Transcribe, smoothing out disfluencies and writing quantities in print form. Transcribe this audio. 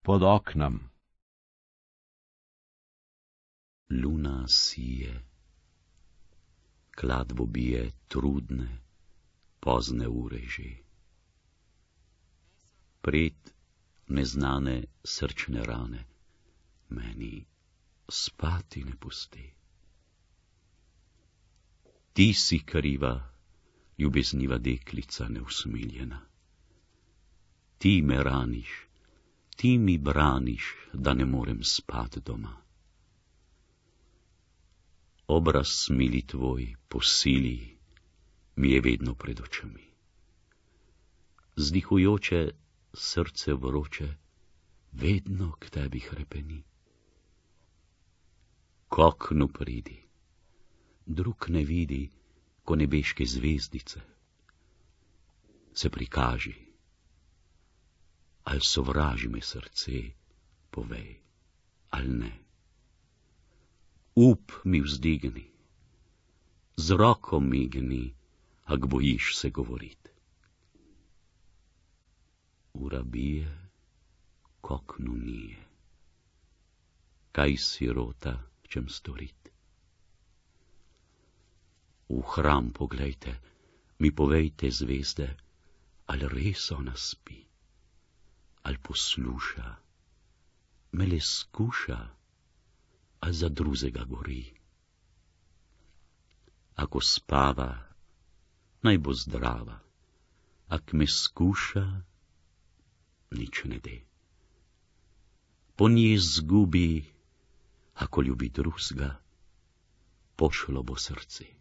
pod oknem. Luna sije, kladvo bije trudne, pozne ure že. Pred neznane srčne rane meni spati ne pusti. Ti si kriva, ljubezniva deklica neusmiljena. Ti me raniš, ti mi braniš, da ne morem spat doma. Obraz mili tvoj po sili mi je vedno pred očmi. Zdihujoče srce vroče vedno k tebi hrepeni. K oknu pridi, drug ne vidi, ko nebeške zvezdice. Se prikaži, al sovraži me srce, povej, al ne. Up mi vzdigni, z roko migni, ak bojiš se govorit. Ura bije, k oknu nije. Kaj sirota čem storit? V hram poglejte, mi povejte zvezde, ali res ona spi, ali posluša, me le skuša, ali za drugega gori. Ako spava, naj bo zdrava, ak me skuša, nič ne de. Po njej zgubi, ako ljubi drugega, pošlo bo srce.